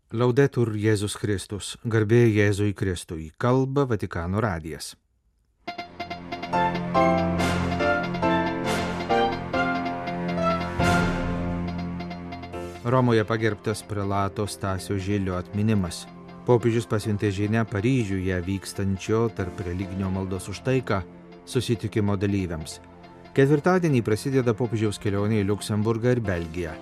Laudetur Jėzus Kristus, garbė Jėzui Kristui, kalba Vatikano radijas. Romoje pagerbtas prelato Stasio Žilio atminimas. Popiežius pasiuntė žinią Paryžiuje vykstančio tarp religinio maldos už taiką susitikimo dalyviams. Ketvirtadienį prasideda popiežiaus kelionė į Liuksemburgą ir Belgiją.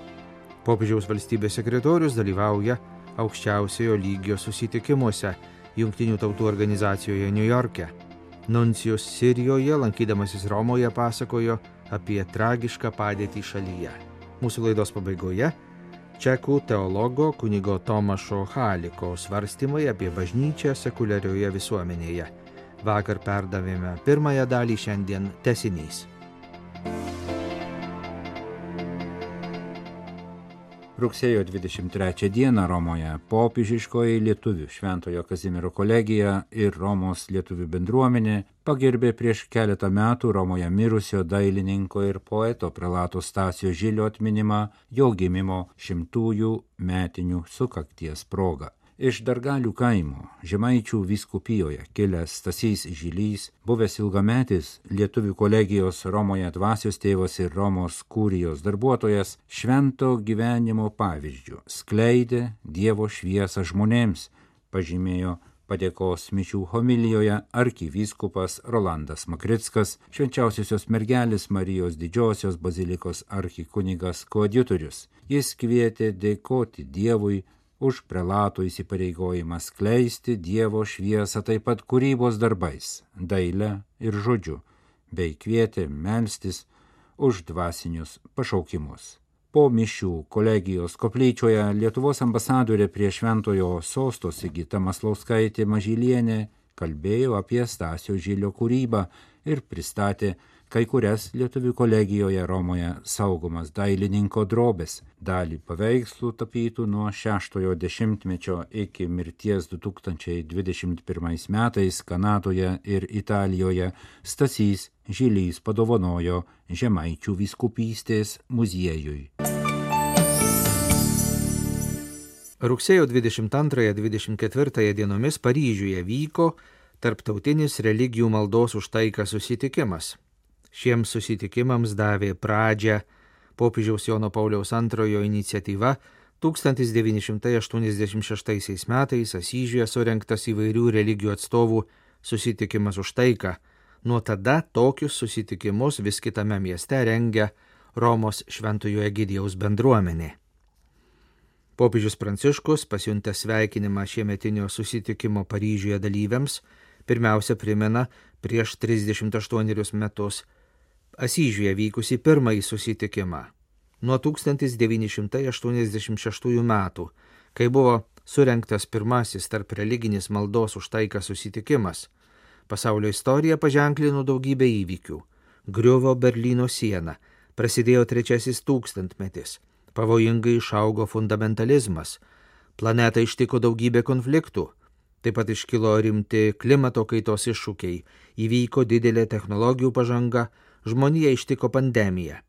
Popiežiaus valstybės sekretorius dalyvauja aukščiausiojo lygio susitikimuose Jungtinių tautų organizacijoje Niujorke. Nuncijus Sirijoje, lankydamasis Romoje, pasakojo apie tragišką padėtį šalyje. Mūsų laidos pabaigoje čekų teologo kunigo Tomašo Haliko svarstymai apie bažnyčią sekuliarioje visuomenėje. Vakar perdavėme pirmąją dalį, šiandien tęsinys. Rugsėjo 23 dieną Romoje popiežiškoji lietuvių Šventojo Kazimiero kolegija ir Romos lietuvių bendruomenė pagerbė prieš keletą metų Romoje mirusio dailininko ir poeto prelato Stasio Žilio atminimą jo gimimo 100-ųjų metinių sukakties proga. Iš Dargalių kaimo, Žemaičių vyskupijoje kilęs Stasys Žilys, buvęs ilgametis lietuvių kolegijos Romoje dvasios tėvas ir Romos kurijos darbuotojas, švento gyvenimo pavyzdžių skleidė Dievo šviesą žmonėms, pažymėjo padėkos mišių homilijoje arkivyskupas Rolandas Makrickas, Švenčiausiosios mergelės Marijos didžiosios bazilikos arkikunigas koadjutorius. Jis kvietė dėkoti Dievui už prelato įsipareigojimą skleisti Dievo šviesą taip pat kūrybos darbais, daile ir žodžiu, bei kvietė melstis už dvasinius pašaukimus. Po mišių kolegijos koplyčioje Lietuvos ambasadorė prie Šventojo sosto Sigita Maslauskaitė Mažylienė kalbėjo apie Stasio Žilio kūrybą ir pristatė kai kurias lietuvių kolegijoje Romoje saugomas dailininko drobės, dalį paveikslų tapytų nuo 6-ojo dešimtmečio iki mirties 2021 metais Kanadoje ir Italijoje Stasys Žilys padovanojo Žemaičių vyskupystės muziejui. Rugsėjo 22-24 dienomis Paryžiuje vyko tarptautinis religijų maldos už taiką susitikimas. Šiems susitikimams davė pradžią popiežiaus Jono Pauliaus II iniciatyva 1986 metais Asyžiuje surengtas įvairių religijų atstovų susitikimas už taiką. Nuo tada tokius susitikimus vis kitame mieste rengia Romos Šventojo Egidijaus bendruomenė. Popiežius Pranciškus, pasiuntęs sveikinimą šiemetinio susitikimo Paryžiuje dalyviams, pirmiausia primena prieš 38 metus Asyžiuje vykusi pirmąjį susitikimą. Nuo 1986 metų, kai buvo surengtas pirmasis tarp religinis maldos už taiką susitikimas, pasaulio istorija paženklino daugybę įvykių. Griuvo Berlyno siena, prasidėjo trečiasis tūkstantmetis, pavojingai išaugo fundamentalizmas, planetą ištiko daugybė konfliktų, taip pat iškilo rimti klimato kaitos iššūkiai, įvyko didelė technologijų pažanga, žmonija ištiko pandemija.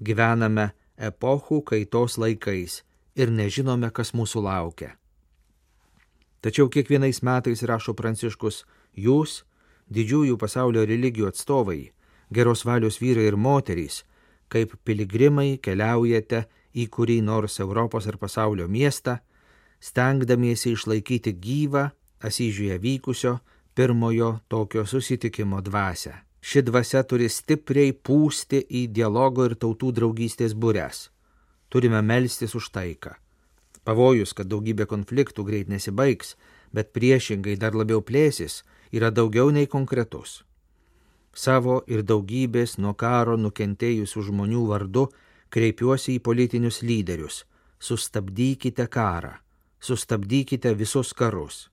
Gyvename epochų kaitos laikais ir nežinome, kas mūsų laukia. Tačiau kiekvienais metais, rašo Pranciškus, jūs, didžiųjų pasaulio religijų atstovai, geros valios vyrai ir moterys, kaip piligrimai keliaujate į kurį nors Europos ar pasaulio miestą, stengdamiesi išlaikyti gyvą Asyžiuje vykusio pirmojo tokio susitikimo dvasią. Ši dvasia turi stipriai pūsti į dialogo ir tautų draugystės bures. Turime melstis už taiką. Pavojus, kad daugybė konfliktų greit nesibaigs, bet priešingai dar labiau plėsis, yra daugiau nei konkretus. Savo ir daugybės nuo karo nukentėjusių žmonių vardu kreipiuosi į politinius lyderius. Sustabdykite karą. Sustabdykite visus karus.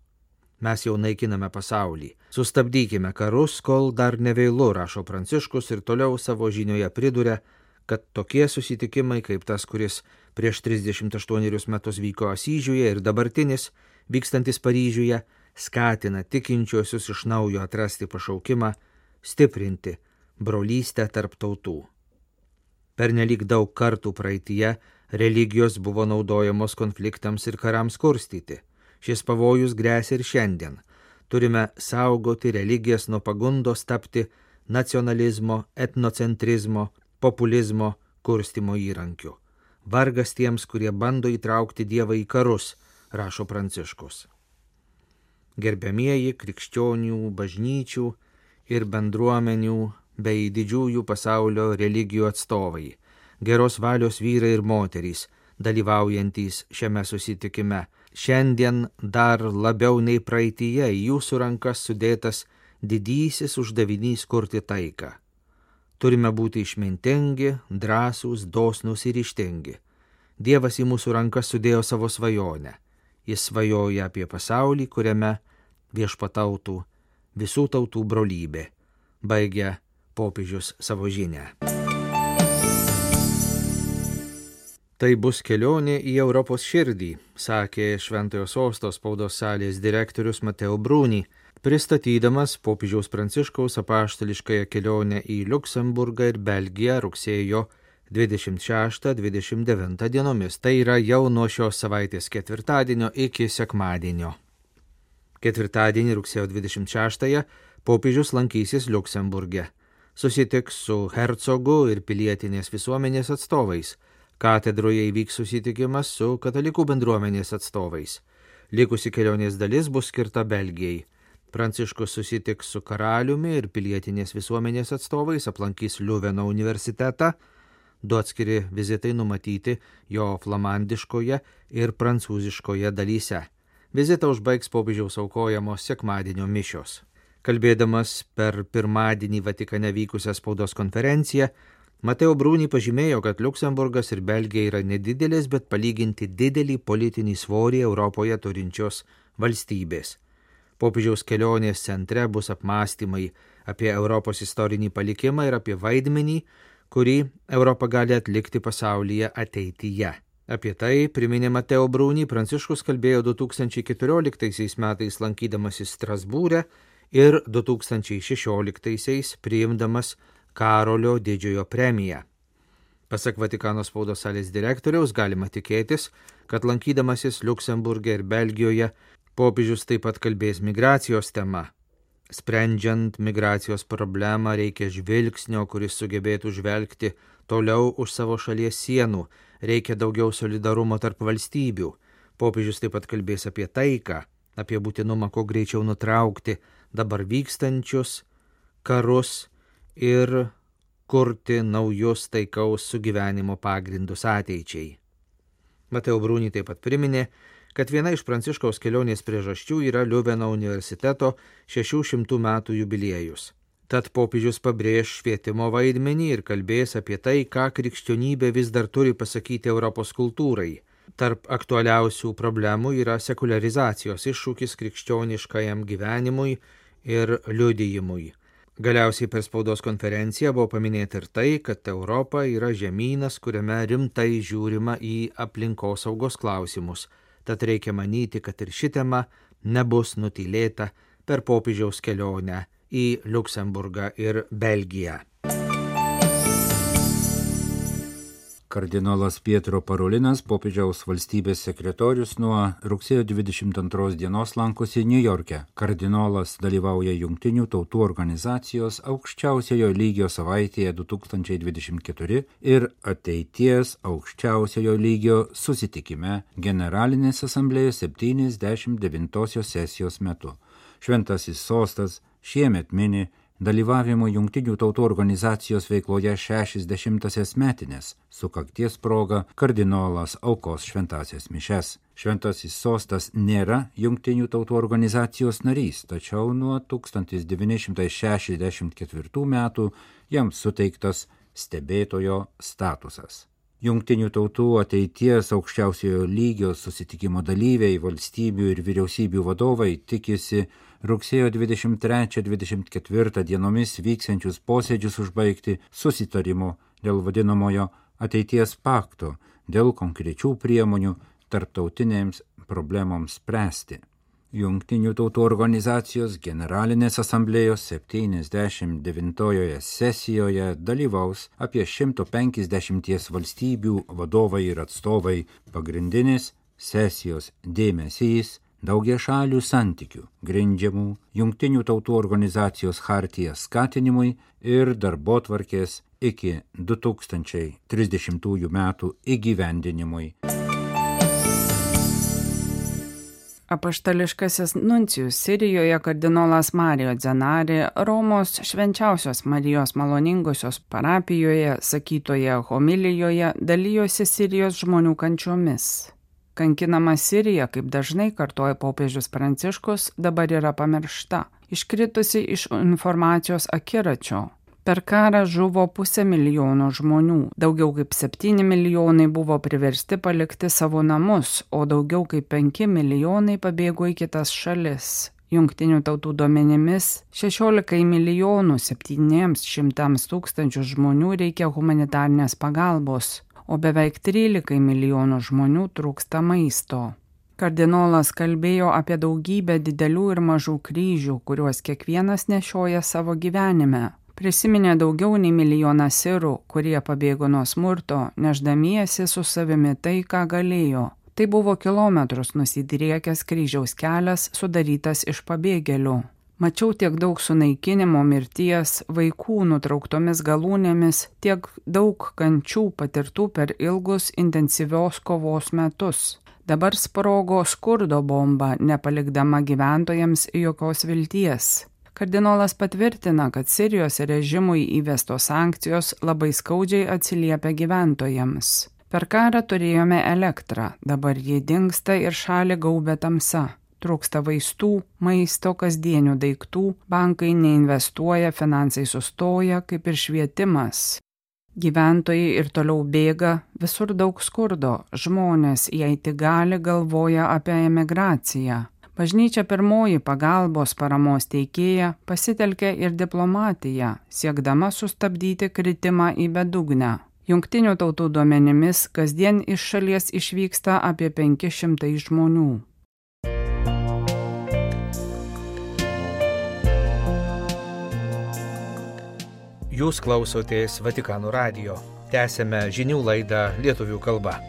Mes jau naikiname pasaulį. Sustabdykime karus, kol dar nevėlu, rašo Pranciškus ir toliau savo žinioje priduria, kad tokie susitikimai kaip tas, kuris prieš 38 metus vyko Asyžiuje ir dabartinis, vykstantis Paryžiuje, skatina tikinčiuosius iš naujo atrasti pašaukimą, stiprinti brolystę tarp tautų. Pernelyg daug kartų praeityje Religijos buvo naudojamos konfliktams ir karams kurstyti. Šis pavojus grėsia ir šiandien. Turime saugoti religijas nuo pagundos tapti nacionalizmo, etnocentrizmo, populizmo kurstimo įrankiu. Vargas tiems, kurie bando įtraukti Dievą į karus, rašo Pranciškus. Gerbiamieji krikščionių, bažnyčių ir bendruomenių bei didžiųjų pasaulio religijų atstovai, geros valios vyrai ir moterys, dalyvaujantys šiame susitikime. Šiandien dar labiau nei praeityje į jūsų rankas sudėtas didysis uždavinys kurti taiką. Turime būti išmintingi, drąsūs, dosnūs ir ryžtingi. Dievas į mūsų rankas sudėjo savo svajonę. Jis svajoja apie pasaulį, kuriame viešpatautų visų tautų brolybė, baigia popiežius savo žinią. Tai bus kelionė į Europos širdį, sakė Šventojo Sosto spaudos salės direktorius Mateo Bruni, pristatydamas popiežiaus Pranciškaus apaštališkąją kelionę į Liuksemburgą ir Belgiją rugsėjo 26-29 dienomis. Tai yra jau nuo šios savaitės ketvirtadienio iki sekmadienio. Ketvirtadienį rugsėjo 26-ąją popiežius lankysis Liuksemburge. Susitiks su hercogu ir pilietinės visuomenės atstovais. Katedroje įvyks susitikimas su katalikų bendruomenės atstovais. Likusi kelionės dalis bus skirta Belgijai. Pranciškus susitiks su karaliumi ir pilietinės visuomenės atstovais, aplankys Liuveno universitetą. 2 atskiri vizitai numatyti jo flamandiškoje ir prancūziškoje dalyse. Vizitą užbaigs popiežiaus aukojamos sekmadienio mišios. Kalbėdamas per pirmadienį Vatikane vykusią spaudos konferenciją, Mateo Bruni pažymėjo, kad Liuksemburgas ir Belgija yra nedidelės, bet palyginti didelį politinį svorį Europoje turinčios valstybės. Popiežiaus kelionės centre bus apmąstymai apie Europos istorinį palikimą ir apie vaidmenį, kurį Europa gali atlikti pasaulyje ateityje. Apie tai, priminė Mateo Bruni, Pranciškus kalbėjo 2014 metais lankydamasis Strasbūre ir 2016 priimdamas Karolio didžiojo premiją. Pasak Vatikano spaudos salės direktoriaus galima tikėtis, kad lankydamasis Liuksemburge ir Belgijoje popiežius taip pat kalbės migracijos tema. Sprendžiant migracijos problemą reikia žvilgsnio, kuris sugebėtų žvelgti toliau už savo šalies sienų, reikia daugiau solidarumo tarp valstybių. Popiežius taip pat kalbės apie taiką, apie būtinumą kuo greičiau nutraukti dabar vykstančius karus ir kurti naujus taikaus sugyvenimo pagrindus ateičiai. Mateo Bruni taip pat priminė, kad viena iš Pranciškaus kelionės priežasčių yra Liuveno universiteto 600 metų jubiliejus. Tad popiežius pabrėž švietimo vaidmenį ir kalbės apie tai, ką krikščionybė vis dar turi pasakyti Europos kultūrai. Tarp aktualiausių problemų yra sekularizacijos iššūkis krikščioniškajam gyvenimui ir liudijimui. Galiausiai per spaudos konferenciją buvo paminėta ir tai, kad Europa yra žemynas, kuriame rimtai žiūrima į aplinkosaugos klausimus. Tad reikia manyti, kad ir ši tema nebus nutylėta per popiežiaus kelionę į Liuksemburgą ir Belgiją. Kardinolas Pietro Parolinas, popiežiaus valstybės sekretorius, nuo rugsėjo 22 dienos lankosi Niujorke. Kardinolas dalyvauja Jungtinių tautų organizacijos aukščiausiojo lygio savaitėje 2024 ir ateities aukščiausiojo lygio susitikime Generalinės asamblėjos 79 sesijos metu. Šventasis sostas šiemet mini dalyvavimo Jungtinių tautų organizacijos veikloje 60-asias metinės. Sukakties proga kardinolas aukos šventasias mišes. Šventasis sostas nėra Jungtinių tautų organizacijos narys, tačiau nuo 1964 metų jam suteiktas stebėtojo statusas. Jungtinių tautų ateities aukščiausiojo lygio susitikimo dalyviai, valstybių ir vyriausybių vadovai tikisi rugsėjo 23-24 dienomis vyksiančius posėdžius užbaigti susitarimu dėl vadinamojo ateities pakto, dėl konkrečių priemonių tarptautinėms problemoms spręsti. Jungtinių tautų organizacijos generalinės asamblėjos 79-ojoje sesijoje dalyvaus apie 150 valstybių vadovai ir atstovai. Pagrindinis sesijos dėmesys daugiašalių santykių grindžiamų Jungtinių tautų organizacijos chartija skatinimui ir darbotvarkės iki 2030 metų įgyvendinimui. Apaštališkasis nuncijus Sirijoje kardinolas Mario Zenari Romos Švenčiausios Marijos Maloningosios parapijoje sakytoje homilijoje dalijosi Sirijos žmonių kančiomis. Kankinama Sirija, kaip dažnai kartoja popiežius Pranciškus, dabar yra pamiršta, iškritusi iš informacijos akiračio. Per karą žuvo 500 000 žmonių, daugiau kaip 7 milijonai buvo priversti palikti savo namus, o daugiau kaip 5 milijonai pabėgo į kitas šalis. Jungtinių tautų duomenimis 16 milijonų 700 tūkstančių žmonių reikia humanitarnės pagalbos, o beveik 13 milijonų žmonių trūksta maisto. Kardinolas kalbėjo apie daugybę didelių ir mažų kryžių, kuriuos kiekvienas nešioja savo gyvenime. Prisiminė daugiau nei 1 milijoną sirų, kurie pabėgo nuo smurto, neždamiesi su savimi tai, ką galėjo. Tai buvo kilometrus nusidriekęs kryžiaus kelias, sudarytas iš pabėgėlių. Mačiau tiek daug sunaikinimo, mirties, vaikų nutrauktomis galūnėmis, tiek daug kančių patirtų per ilgus intensyvios kovos metus. Dabar sprogo skurdo bomba, nepalikdama gyventojams jokios vilties. Kardinolas patvirtina, kad Sirijos režimui įvestos sankcijos labai skaudžiai atsiliepia gyventojams. Per karą turėjome elektrą, dabar ji dingsta ir šalį gaubia tamsa. Trūksta vaistų, maisto, kasdienių daiktų, bankai neinvestuoja, finansai sustoja, kaip ir švietimas. Gyventojai ir toliau bėga, visur daug skurdo, žmonės, jei tik gali, galvoja apie emigraciją. Bažnyčia pirmoji pagalbos paramos teikėja pasitelkė ir diplomatiją, siekdama sustabdyti kritimą į bedugnę. Jungtinių tautų duomenimis kasdien iš šalies išvyksta apie 500 žmonių. Jūs klausotės Vatikano radijo. Tęsėme žinių laidą lietuvių kalba.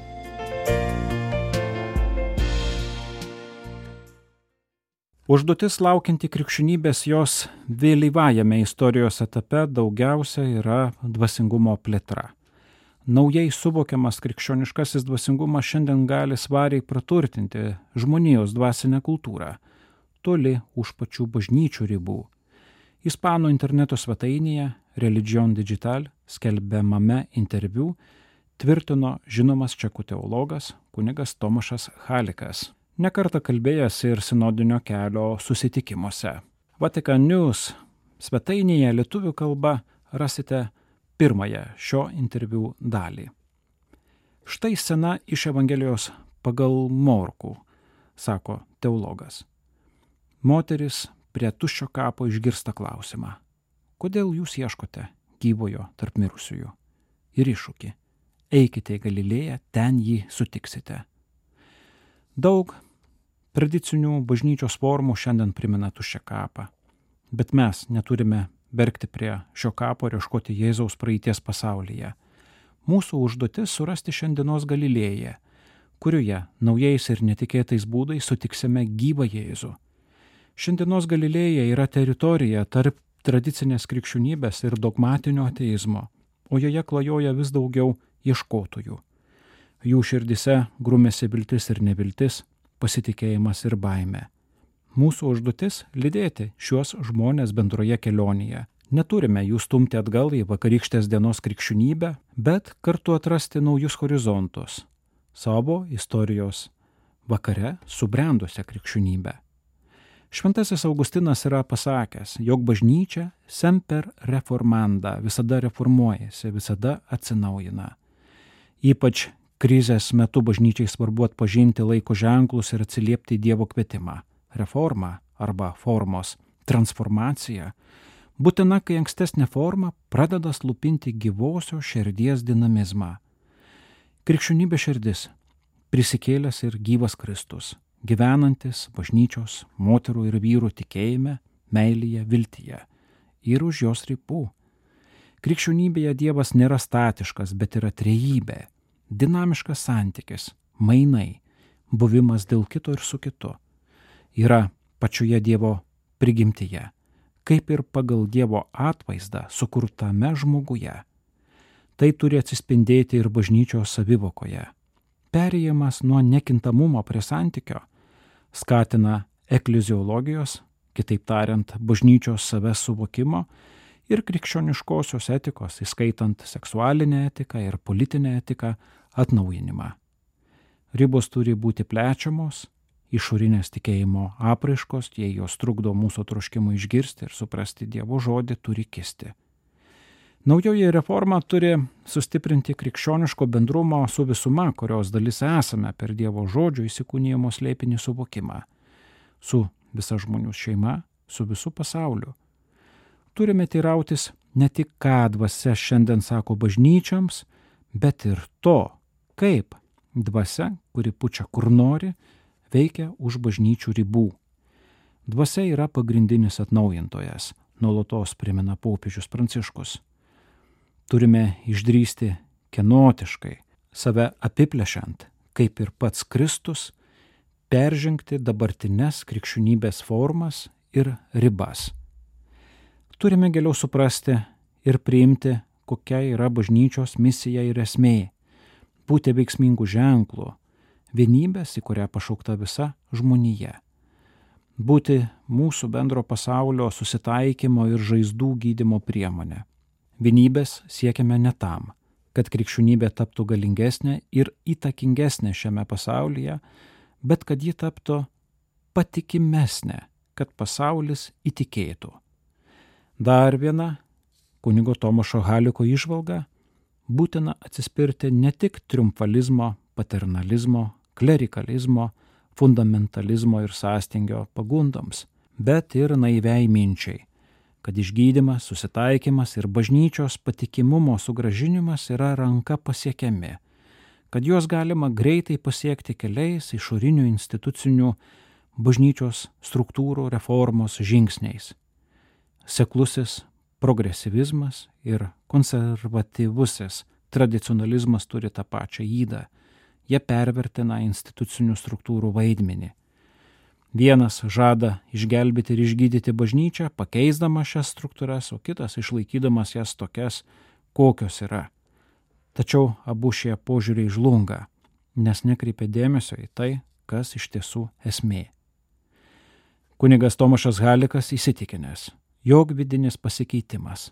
Užduotis laukianti krikščionybės jos vėlyvajame istorijos etape daugiausia yra dvasingumo plėtra. Naujai suvokiamas krikščioniškasis dvasingumas šiandien gali svariai praturtinti žmonijos dvasinę kultūrą, toli už pačių bažnyčių ribų. Ispanų interneto svetainėje Religion Digital skelbiamame interviu tvirtino žinomas čekų teologas kunigas Tomašas Halikas, nekartą kalbėjęs ir sinodinio kelio susitikimuose. Vatican News svetainėje lietuvių kalba rasite pirmąją šio interviu dalį. Štai scena iš Evangelijos pagal Morkų, sako teologas. Moteris prie tuščio kapo išgirsta klausimą: kodėl jūs ieškote gyvojo tarp mirusiųjų? Ir iššūkį: eikite į Galilėją, ten jį sutiksite. Daug tradicinių bažnyčios formų šiandien primena tuščią kapą, bet mes neturime bergti prie šio kapo ir ieškoti Jėzaus praeities pasaulyje. Mūsų užduotis surasti šiandienos Galilėją, kurioje naujais ir netikėtais būdais sutiksime gyvą Jėzų. Šiandienos Galilėja yra teritorija tarp tradicinės krikščionybės ir dogmatinio ateizmo, o joje klajoja vis daugiau ieškotojų. Jų širdise grumėsi viltis ir neviltis, pasitikėjimas ir baimė. Mūsų užduotis – lydėti šiuos žmonės bendroje kelionėje. Neturime jų stumti atgal į vakarykštės dienos krikščionybę, bet kartu atrasti naujus horizontus savo istorijos vakare subrendusią krikščionybę. Šventasis Augustinas yra pasakęs, jog bažnyčia semper reformanda, visada reformuojasi, visada atsinaujina. Ypač krizės metu bažnyčiai svarbu atpažinti laiko ženklus ir atsiliepti į Dievo kvietimą. Reforma arba formos transformacija būtina, kai ankstesnė forma pradeda slupinti gyvosios širdies dinamizmą. Krikščionybės širdis – prisikėlęs ir gyvas Kristus, gyvenantis bažnyčios moterų ir vyrų tikėjime, meilėje, viltyje ir už jos ribų. Krikščionybėje Dievas nėra statiškas, bet yra trejybė, dinamiškas santykis, mainai, buvimas dėl kito ir su kitu. Yra pačioje Dievo prigimtyje, kaip ir pagal Dievo atvaizdą sukurtame žmoguje. Tai turi atsispindėti ir bažnyčios savivokoje. Perėjimas nuo nekintamumo prie santykio skatina ekleziologijos, kitaip tariant, bažnyčios savęs suvokimo ir krikščioniškosios etikos, įskaitant seksualinę etiką ir politinę etiką, atnaujinimą. Ribos turi būti plečiamos, išorinės tikėjimo apraiškos, jei jos trukdo mūsų troškimui išgirsti ir suprasti Dievo žodį, turi kisti. Naujoji reforma turi sustiprinti krikščioniško bendrumo su visuma, kurios dalis esame per Dievo žodžio įsikūnijimo slėpinį suvokimą, su visa žmonių šeima, su visu pasauliu. Turime teirautis ne tik, ką dvasia šiandien sako bažnyčiams, bet ir to, kaip dvasia, kuri pučia kur nori, veikia už bažnyčių ribų. Dvasia yra pagrindinis atnaujintojas, nuolatos primena popiežius Pranciškus. Turime išdrįsti kenotiškai, save apiplešiant, kaip ir pats Kristus, peržengti dabartines krikščionybės formas ir ribas. Turime giliau suprasti ir priimti, kokia yra bažnyčios misija ir esmė, būti veiksmingų ženklų, vienybės, į kurią pašaukta visa žmonija, būti mūsų bendro pasaulio susitaikymo ir žaizdų gydymo priemonė. Vienybės siekiame ne tam, kad krikščionybė taptų galingesnė ir įtakingesnė šiame pasaulyje, bet kad ji taptų patikimesnė, kad pasaulis įtikėtų. Dar viena kunigo Tomašo Haliko įžvalga: būtina atsispirti ne tik triumfalizmo, paternalizmo, klerikalizmo, fundamentalizmo ir sąstingio pagundoms, bet ir naiviai minčiai, kad išgydymas, susitaikymas ir bažnyčios patikimumo sugrąžinimas yra ranka pasiekiami, kad juos galima greitai pasiekti keliais išorinių institucinių bažnyčios struktūrų reformos žingsniais. Seklusis progresyvizmas ir konservatyvusis tradicionalizmas turi tą pačią ydą. Jie pervertina institucinių struktūrų vaidmenį. Vienas žada išgelbėti ir išgydyti bažnyčią, pakeisdamas šias struktūras, o kitas išlaikydamas jas tokias, kokios yra. Tačiau abu šie požiūriai žlunga, nes nekreipia dėmesio į tai, kas iš tiesų esmė. Kunigas Tomašas Halikas įsitikinęs, jog vidinis pasikeitimas,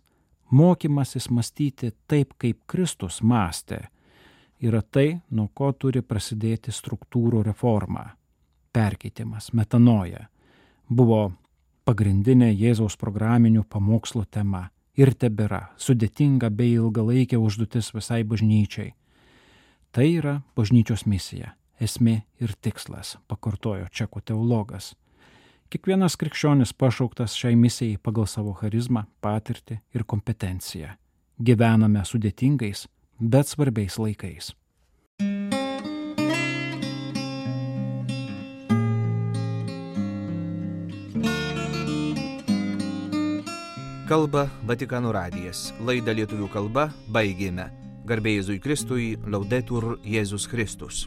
mokymasis mąstyti taip, kaip Kristus mąstė, yra tai, nuo ko turi prasidėti struktūrų reforma. Perkeitimas, metanoja, buvo pagrindinė Jėzaus programinių pamokslų tema ir tebėra sudėtinga bei ilgalaikė užduotis visai bažnyčiai. Tai yra bažnyčios misija, esmė ir tikslas, pakartojo čekų teologas. Kiekvienas krikščionis pašauktas šiai misijai pagal savo charizmą, patirtį ir kompetenciją. Gyvename sudėtingais, bet svarbiais laikais. Kalba Vatikano radijas. Laidą lietuvių kalba baigėme. Garbė Jėzui Kristui, Laudetur Jėzus Kristus.